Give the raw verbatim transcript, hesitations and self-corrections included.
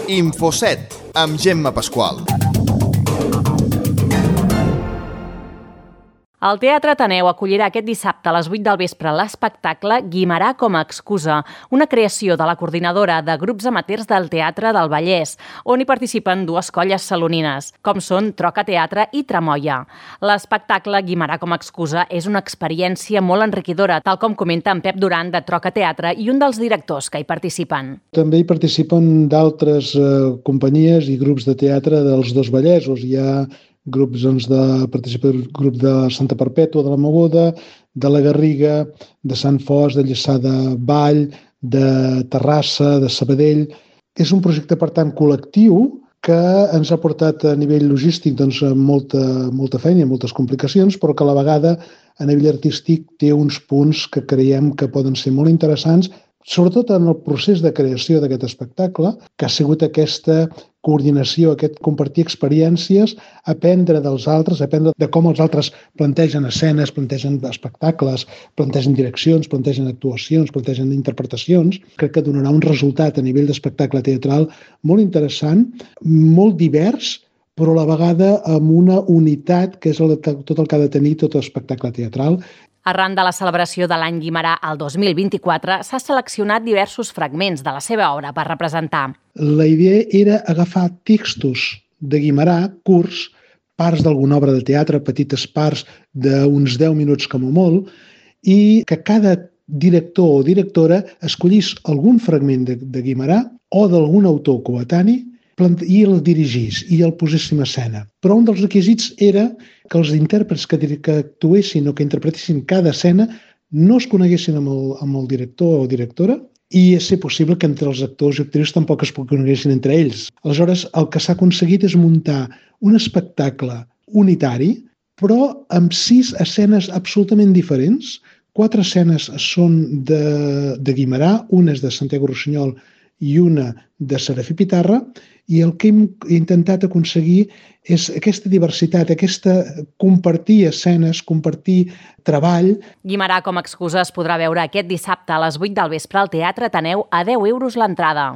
Infoset, amb Gemma Pasqual. El Teatre Ateneu acollirà aquest dissabte a les vuit del vespre l'espectacle Guimerà com a excusa, una creació de la coordinadora de grups amateurs del Teatre del Vallès, on hi participen dues colles salonines, com són Troca Teatre i Tramoia. L'espectacle Guimerà com a excusa és una experiència molt enriquidora, tal com comenta en Pep Duran de Troca Teatre i un dels directors que hi participen. També hi participen d'altres eh, companyies i grups de teatre dels dos Vallesos. Hi ha grups doncs, de participa el grup de Santa Perpètua, de la Mogoda, de la Garriga, de Sant Fos, de Lliçà de Vall, de Terrassa, de Sabadell. És un projecte, per tant, col·lectiu que ens ha portat a nivell logístic doncs, molta, molta feina i moltes complicacions, però que a la vegada a nivell artístic té uns punts que creiem que poden ser molt interessants, sobretot en el procés de creació d'aquest espectacle, que ha sigut aquesta coordinació, aquest compartir experiències, aprendre dels altres, aprendre de com els altres plantegen escenes, plantegen espectacles, plantegen direccions, plantegen actuacions, plantegen interpretacions. Crec que donarà un resultat a nivell d'espectacle teatral molt interessant, molt divers, però a la vegada amb una unitat que és el, tot el que ha de tenir tot espectacle teatral. Arran de la celebració de l'any Guimerà el dos mil vint-i-quatre, s'ha seleccionat diversos fragments de la seva obra per representar. La idea era agafar textos de Guimerà, curts, parts d'alguna obra de teatre, petites parts d'uns deu minuts com a molt, i que cada director o directora escollís algun fragment de, de Guimerà o d'algun autor coetani i el dirigís i el posés en escena. Però un dels requisits era que els intèrprets que, que actuessin o que interpretessin cada escena no es coneguessin amb el, amb el director o directora i és ser possible que entre els actors i actrius tampoc es coneguessin entre ells. Aleshores, el que s'ha aconseguit és muntar un espectacle unitari, però amb sis escenes absolutament diferents. Quatre escenes són de, de Guimerà, una és de Santiago Rossinyol i una de Serafí Pitarra, i el que hem intentat aconseguir és aquesta diversitat, aquesta compartir escenes, compartir treball. Guimerà com a excusa es podrà veure aquest dissabte a les vuit del vespre al Teatre Ateneu a deu euros l'entrada.